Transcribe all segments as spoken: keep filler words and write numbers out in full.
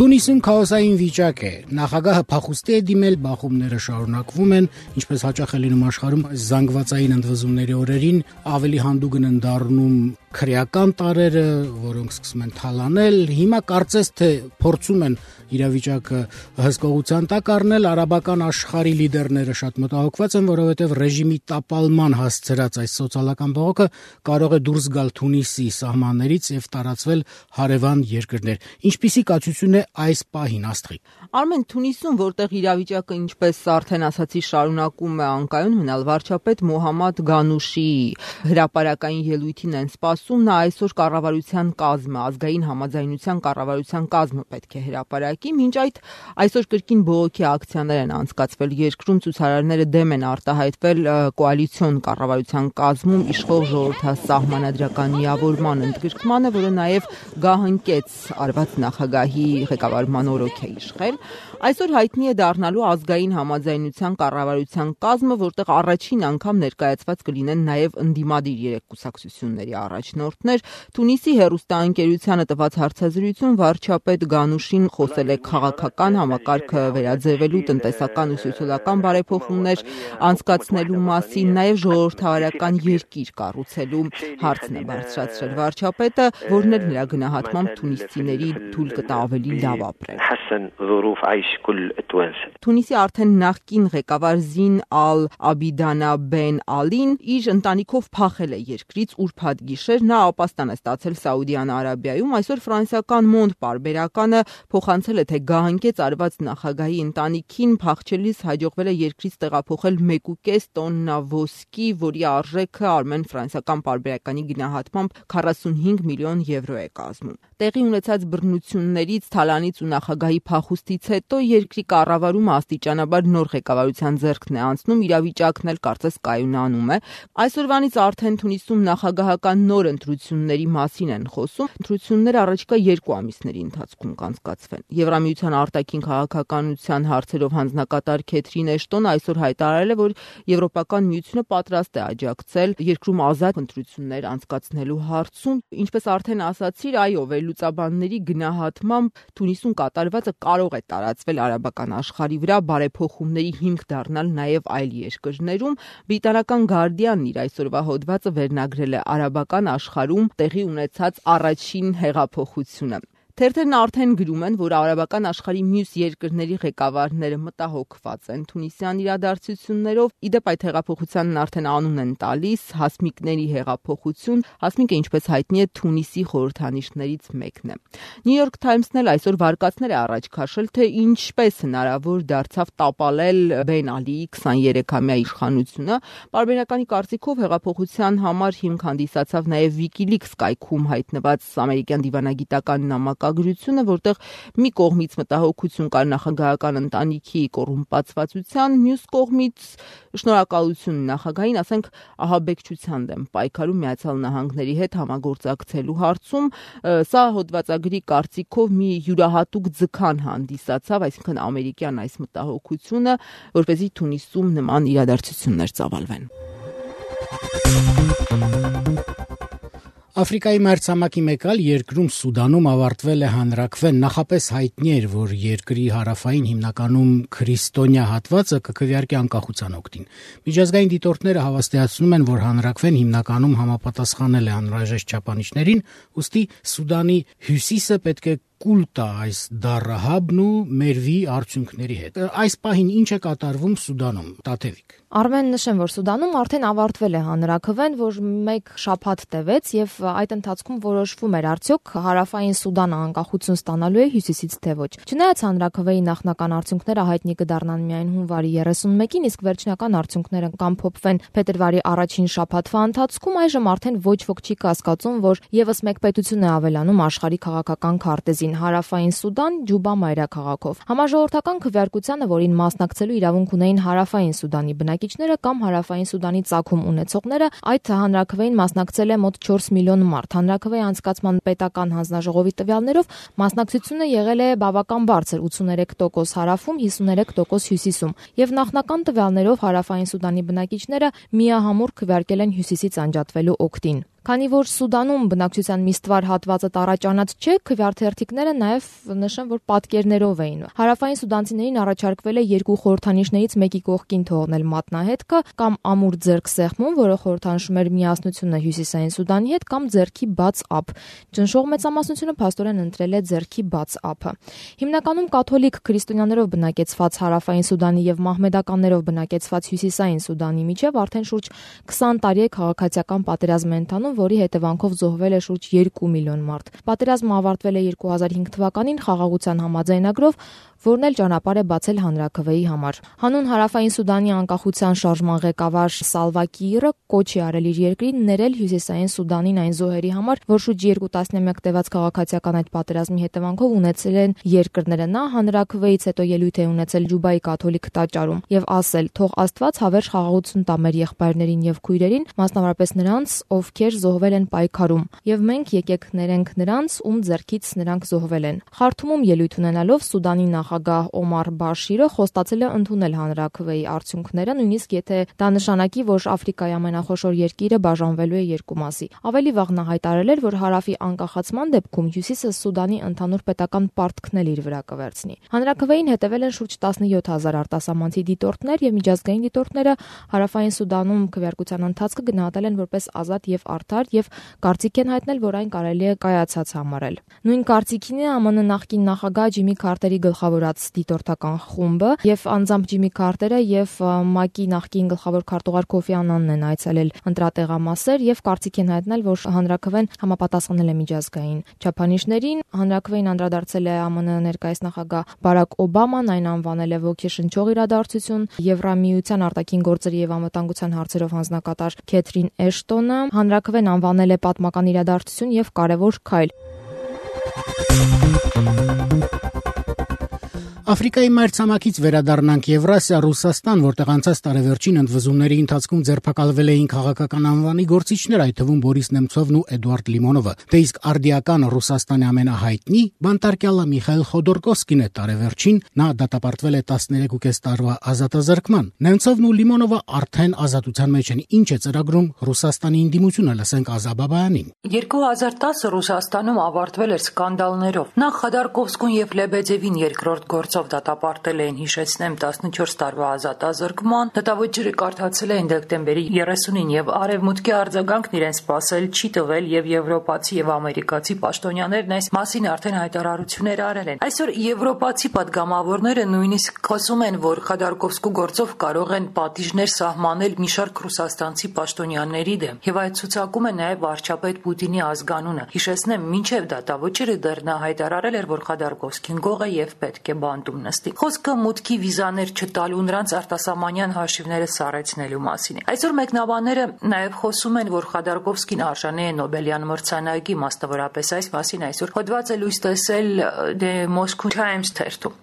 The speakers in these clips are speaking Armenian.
Թունիսում քաոսային վիճակ է։ Նախագահը փախուստի է դիմել, բախումները շարունակվում են, ինչպես հաճախ է լինում աշխարհում զանգվածային ընդվզումների օրերին, ավելի հանդուգն են դառնում քրեական տարրերը, որոնք սկսում են թալանել։ Հիմա կարծես թե փորձում են իրավիճակը հսկողության տակ առնել, արաբական աշխարհի լիդերները շատ մտահոգված են, որովհետև ռեժիմի տապալման հասցրած այս սոցիալական բողոքը կարող է դուրս գալ Թունիսի սահմաններից եւ տարածվել հարևան երկրներ։ Ինչպիսի կացություն է այս պահին, Աստղիկ։ Արմեն, Թունիսում, որտեղ իրավիճակը, ինչպես արդեն ասացի, շարունակում է անկայուն մնալ, վարչապետ Մոհամմադ Գանուշի հրապարակային ելույթին են սպասում, նա այսօր կառավարության կազմը, ազգային համաձայնության կառավարության կազմը պետք է հրապարակի, մինչ այդ այսօր կրկին բողոքի ակցիաներ են անցկացվել երկրում, ցուցարարները դեմ են արտահայտվել կոալիցիոն կառավարության կազմում իշխող ժողովրդասահմանադրական միավորման ընդգրկմանը, որը նաև գահընկեց արված նախագահի ղեկավարման օրոք է իշխել։ Այսօր հայտնի է դառնալու ազգային համաձայնության կառավարության կազմը, որտեղ առաջին անգամ ներկայացված կլինեն նաև ընդդիմադիր երեք կուսակցությունների առաջնորդներ։ Թունիսի հեռուստաընկերությանը տված հարցազրույցում վարչապետ Գանուշին խոսել է քաղաքական համակարգը վերաձևելու, տնտեսական ու սոցիալական բարեփոխումներ անցկացնելու մասին, նաև ժողովրդավարական երկիր կառուցելու հարցն է բարձրացրել վարչապետը, որն էլ նրա գնահատմամբ թունիսցիների թույլ կտա ավելի լավ ապրել։ Թունիսի արդեն նախկին ղեկավար Զին Ալ-Աբիդանա Բեն Ալին իր ընտանիքով փախել է երկրից ուրբաթ գիշեր, նա ապաստան է ստացել Սաուդյան Արաբիայում, այսօր ֆրանսիական Մոնդ պարբերականը փոխանցել է, թե գահընկեց արված նախագահի ընտանիքին փախչելիս հաջողվել է երկրից տեղափոխել մեկ ու կես տոննա ոսկի, որի արժեքը Արմեն ֆրանսիական պարբերականի գնահատմամբ քառասունհինգ միլիոն եվրո է կազմում։ Տեղի ունեցած բռնություններից, թալանից ու նախագահի փախուստից հետո երկրի կառավարումը աստիճանաբար նոր ղեկավարության ձեռքն է անցնում, իրավիճակն էլ կարծես կայունանում է։ Այսօրվանից արդեն Թունիսում նախագահական նոր ընտրությունների մասին են խոսում։ Ընտրությունները առաջիկա երկու ամիսների ընթացքում կանցկացվեն։ Եվրամիության արտաքին քաղաքականության հարցերով հանձնակատար Քեթրին Էշտոնը այսօր հայտարարել է, որ Եվրոպական միությունը պատրաստ է աջակցել երկրում ազատ ընտրություններ անցկացնելու հարցում։ Ինչպես արդեն ասացիր, այո, վերլուծաբանների գնահատմամբ Թունիսում կատարվածը կարող է տարածվել արաբական աշխարհի վրա, բարեփոխումների հիմք դառնալ նաև այլ երկրներում։ Բրիտանական Guardian-ն իր այսօրվա հոդվածը վերնագրել է արաբական աշխարհում տեղի ունեցած առաջին հեղափոխությունը։ Թերթերն արդեն գրում են, որ արաբական աշխարհի մյուս երկրների ղեկավարները մտահոգված են թունիսյան իրադարձություններով։ Իդեպ այդ հեղափոխությանն արդեն անուն են տալիս հասմիկների հեղափոխություն։ Հասմիկը, ինչպես հայտնի է, Թունիսի խորհրդանիշներից մեկն է։ New York Times-ն էլ այսօր վարկածներ է առաջ քաշել, թե ինչպես հնարավոր դարձավ տապալել Բեն Ալիի քսաներեքամյա իշխանությունը։ Պարբերականի կարծիքով հեղափոխության համար հիմք հանդիսացավ նաև WikiLeaks կայքում հայտնված ամերիկյան դիվանագիտական նամակագրությունը, որտեղ մի կողմից մտահոգություն կար նախագահական ընտանիքի կոռումպացվածության, մյուս կողմից շնորհակալություն նախագահին, ասենք, ահաբեկչության դեմ պայքարում Միացյալ Նահանգների հետ համագործակցելու հարցում։ Սա հոդվածագրի կարծիքով մի յուրահատուկ ձգան հանդիսացավ, այսինքն ամերիկյան այս մտահոգությունը, որպեսզի Թունիսում նման իրադարձություններ ծավալվեն։ Աֆրիկայի մայրցամաքի մեկ այլ երկրում Սուդանում ավարտվել է հանրաքվեն։ Նախապես հայտնի էր, որ երկրի հարավային հիմնականում քրիստոնյա հատվածը կքվեարկի անկախության օգտին։ Միջազգային դիտորդները հավաստիացնում են, որ հանրաքվեն հիմնականում համապատասխանել է անհրաժեշտ չափանիշներին, ուստի Սուդանի հյուսիսը պետք է կուլ տա այս դառահաբն ու մերվի արդյունքների հետ։ Այս պահին ինչ է կատարվում Սուդանում, Տաթևիկ։ Արմեն, նշեմ, որ Սուդանում արդեն ավարտվել է հանրաքվեն, որ մեկ շաբաթ տևեց եւ այդ ընթացքում որոշվում էր արդյոք հարավային Սուդանը անկախություն ստանալու է հյուսիսից թե ոչ։ Չնայած հանրաքվեի նախնական արդյունքները հայտնի կդառնան միայն հունվարի երեսունմեկին, իսկ վերջնական արդյունքները կամփոփվեն փետրվարի առաջին շաբաթվա ընթացքում, այժմ արդեն ոչ ոք չի կասկածում, որ եւս մեկ պետություն է ավելանում աշխարհի քաղաքական քարտեզին՝ Հարավային Սուդան, Ջուբա մայրաքաղաքով։ Համաժողովրդական քվեարկությանը, որին մասնակցելու իրավունք ունեին Հարավային Սուդանի բնակիչները կամ Հարավային Սուդանի ծագում ունեցողները, այդ հանրաքվեին մասնակցել է մոտ չորս միլիոն մարդ։ Հանրաքվեի անցկացման պետական հանձնաժողովի տվյալներով մասնակցությունը եղել է բավական բարձր՝ ութսուներեք տոկոս հարավում, հիսուներեք տոկոս հյուսիսում, եւ նախնական տվյալներով Հարավային Սուդանի բնակիչները միահամուռ քվեարկել են հյուսիսից անջատվելու օգտին։ Քանի որ Սուդանում բնակչության միստվար հատվածը տառաճանած չէ, քվեարկերտիկները նաև նշեն, որ պատկերներով էին։ Հարավային սուդանցիներին առաջարկվել է երկու խորհրդանիշներից մեկի կողքին թողնել մատնահետքը կամ ամուր ձեռքսեղմում, որը խորհրդանշում էր միասնությունը Հյուսիսային Սուդանի հետ, կամ ձեռքի բաց ափ։ Ճնշող մեծամասնությունը փաստորեն ընտրել է ձեռքի բաց ափը։ Հիմնականում կաթոլիկ քրիստոնյաներով բնակեցված Հարավային Սուդանի եւ մահմեդականներով բնակեցված Հյուսիսային Սուդանի միջև արդեն շուրջ քսան տարի է քաղաքացիական պատերազմ ընթանում, որի հետևանքով զոհվել է շուրջ երկու միլիոն մարդ։ Պատերազմը ավարտվել է երկու հազար հինգ թվականին խաղաղության համաձայնագրով, որն էլ ճանապարհ է բացել հանրաքվեի համար։ Հանուն Հարավային Սուդանի անկախության շարժման ղեկավար Սալվա Կիիրը կոչ է արել իր երկրին ներել Հյուսիսային Սուդանին այն զոհերի համար, որ շուրջ երկու տասնամյակ տևած քաղաքացիական այդ պատերազմի հետևանքով ունեցել են երկրները։ Նա հանրաքվեից հետո ելույթ է ունեցել Ջուբայի կաթոլիկ տաճարում եւ ասել. «Թող Աստված հավերժ խաղաղություն տա մեր եղբայրներին եւ քույրերին, մասնավորապես նրանց, ովքեր զոհվել են պայքարում, եւ մենք եկեք ներենք նրանց, ում ձեռքից նրանք զոհվել են»։ Խարթումում ելույթ ունենալով Սուդանի նախագահ Օմար Բաշիրը խոստացել է ընդունել հանրաքվեի արդյունքները, նույնիսկ եթե դա նշանակի, որ Աֆրիկայի ամենախոշոր երկիրը բաժանվելու է երկու մասի։ Ավելի վաղ նա հայտարարել էր, որ հարավի անկախացման դեպքում Հյուսիսը Սուդանի ընդհանուր պետական պարտքն էլ իր վրա կվերցնի։ Հանրաքվեին հետևել են շուրջ տասնյոթ հազար արտասահմանցի դիտորդներ եւ միջազգային դիտորդները Հարավային Սուդանում քվեարկության ընթացքը գնահատել են որպես ազատ եւ արդար եւ կարծիք են հայտնել, որ այն կարելի է կայացած համարել։ Նույն կարծիքին է ԱՄՆ նախկին նախագահ Ջիմի Քարտերի գլխավորած դիտորդական խումբը եւ անձամբ Ջիմի Քարտերը եւ ՄԱԿ-ի նախկին գլխավոր քարտուղար Քոֆի Անանն են այցելել ընտրատեղամասեր եւ կարծիք են հայտնել, որ հանրաքվեն համապատասխանել է միջազգային չափանիշներին։ Հանրաքվեին անդրադարձել է ԱՄՆ ներկայիս նախագահ Բարակ Օբաման, այն անվանել է ոգեշնչող իրադարձություն։ Եվրամիության արտաքին գործերի եւ անվտանգության հարցերով հանձնակատար Քեթրին Էշտոնը հանրաքվեն անվանել է պատմական իրադարձություն եւ կարեւոր քայլ։ Աֆրիկայի մայրցամաքից վերադառնանք Եվրասիա, Ռուսաստան, որտեղ անցած տարեվերջին ընդվզումների ընթացքում ձերբակալվել էին քաղաքական անվանի գործիչներ, այդ թվում Բորիս Նեմցովն ու Էդուարդ Լիմոնովը։ Դե իսկ արդիական Ռուսաստանի ամենահայտնի բանտարկյալը Միխայիլ Խոդորկովսկին է տարեվերջին, նա դատապարտվել է տասներեք ու կես տարվա ազատազրկման։ Նեմցովն ու Լիմոնովը արդեն ազատության մեջ են։ Ինչ է ծրագրում Ռուսաստանի ինդիմությունը, լսենք Ազա Բաբայանին։ երկու հազար տասը Ռուսաստանում ավարտվել էր սկանդալներով։ Նախ Խոդորկովսկուն եւ Լեբեդևին երկրորդ գործով դատապարտել էին, հիշեցնեմ, տասնչորս տարվա ազատազրկման։ Դատավճիռը կարդացել էին դեկտեմբերի երեսունին եւ Արևմուտքի արձագանքն իրեն սпасել չի տվել եւ եվրոպացի եւ ամերիկացի պաշտոնյաներն այս մասին արդեն հայտարարություններ արել են։ Այսօր եվրոպացի падգամավորները նույնիսկ խոսում են, որ Խոդորկովսկու գործով կարող են պատիժներ սահմանել մի շարք ռուսաստանցի պաշտոնյաների դեմ եւ այդ ցուցակում է նաեւ վարչապետ Պուտինի ազգանունը։ Հիշեցնեմ, մինչեւ դատավճիռը դեռ նա հայտարարել էր, որ Խոդորկովսկին գող է եւ պետք է բանտում նստի։ Խոսքը մուտքի վիզաներ չտալու, նրանց արտասահմանյան հաշիվները սառեցնելու մասին է։ Այսօր մեկնաբանները նաև խոսում են, որ Խոդորկովսկին արժանի է Նոբելյան մրցանակի, մասնավորապես այս մասին այսօր հոդված է լույս տեսել The Moscow Times թերթում։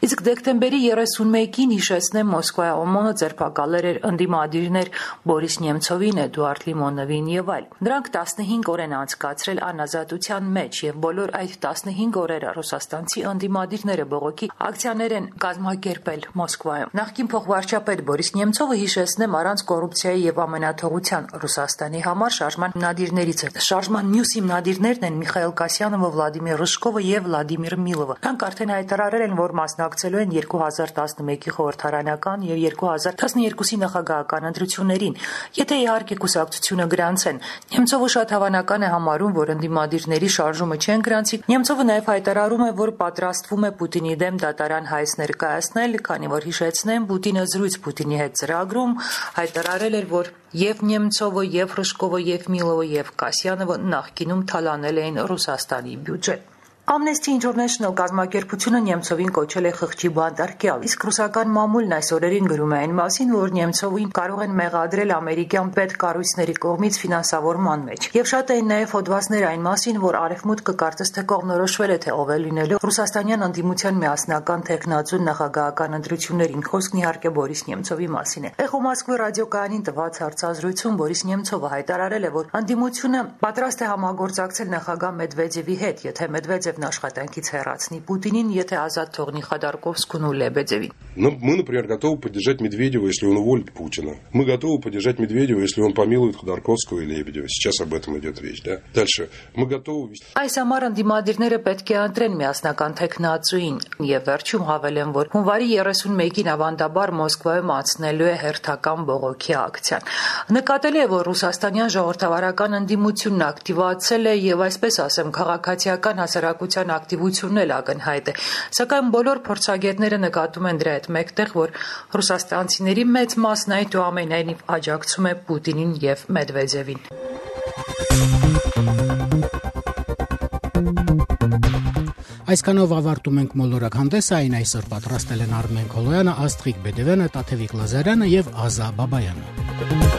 Իսկ դեկտեմբերի երեսունմեկին, հիշեցնեմ, Մոսկվայի օմոնը ձերբակալել էր ընդդիմադիրներ Բորիս Նեմցովին, Էդուարդ Լիմոնովին եւ այլ։ Նրանք տասնհինգ օր են անցկացրել անազատության մեջ եւ բոլոր այդ տասնհինգ օրերը ռուսաստանցի ընդդիմադիրները բողոքի ակցիաներ են կազմակերպել Մոսկվայում։ Նախկին փոխվարչապետ Բորիս Նեմցովը, հիշեցնեմ, առանց կոռուպցիայի եւ ամենաթողության Ռուսաստանի համար շարժման հիմնադիրներից է։ Շարժման մյուս հիմնադիրներն են Միխայիլ Կասյանովը, Վլադիմիր Ռժկովը եւ Վլադիմիր Միլովը։ Նրանք արդեն հայտարարել են, որ մասնակցելու են երկու հազար տասնմեկի խորհրդարանական եւ երկու հազար տասներկուսի նախագահական ընտրություններին, եթե իհարկե կուսակցությունը գրանցեն։ Նեմցովը շատ հավանական է համարում, որ ընդդիմադիրների շարժումը չեն գրանցի։ Նեմցովը նաեւ հայտարարում է, որ պատրաստվում է Պուտինի դեմ դատարան հայց ներկայացնել, քանի որ հիշեցնեմ, Պուտինը զրույց Պուտինի հետ ծրագրում հայտարարել էր, որ եւ Նեմցովը, եւ Ռժկովը, եւ Միլովը, եւ Կասյանովը նախկինում թալանել էին Ռուսաստանի բյուջեն։ Amnesty International կազմակերպությունը Նեմցովին կոչել է խղճի բանտարկյալ, իսկ ռուսական մամուլն այս օրերին գրում է այն մասին, որ Նեմցովին կարող են մեղադրել ամերիկյան պետկառույցների կողմից ֆինանսավորման մեջ։ Եվ շատ էին նաև հոդվածներ այն մասին, որ Արևմուտքը կարծես թե կողմնորոշվել է, թե ով է լինելու ռուսաստանյան ընդդիմության միասնական տեխնացու նախագահական ընտրություններին։ Խոսքն իհարկե Բորիս Նեմցովի մասին է։ Էխո Մոսկվի ռադիոկայանին տված հարցազրույցում Բորիս Նեմցովը հայտարարել է, որ ընդդիմությունը պատրաստ է համագործակցել նախագահ Մեդվեդևի հետ, եթե Մեդվեդևը Մեդվեդևն աշխատանքից հեռացնի Պուտինին, եթե ազատ թողնի Խոդորկովսկուն ու Լեբեդևին։ Мы, например, готовы поддержать Медведева, если он уволит Путина. Мы готовы поддержать Медведева, если он помилует Ходорковского и Лебедева. Сейчас об этом идет речь, да? Дальше. Мы готовы... Այս համար ընդդիմադիրները պետք է ընտրեն միասնական թեկնածուին եւ վերջում հավելեն, որ հունվարի երեսունմեկին ավանդաբար Մոսկվայում անցնելու է հերթական բողոքի ակցիան։ Նկատելի է, որ ռուսաստանյան ժողովրդավարական ընդդիմությունն ակտիվացել է եւ այսպես ասեմ, քաղաքացիական հասարակության ակտիվությունն էլ ակնհայտ է։ Սակայն բոլոր փորձագետները նկատում են դրա հետ մեկտեղ, որ ռուսաստանցիների մեծ մասն այդ ու ամենայնիվ աջակցում է Պուտինին եւ Մեդվեդևին։ Այսքանով ավարտում ենք մոլորակ հանդեսը, այն այսօր պատրաստել են Արմեն Քոլոյանը, Աստղիկ Բեդևյանը, Տաթևիկ Լազարյանը եւ Ազա Բաբայանը։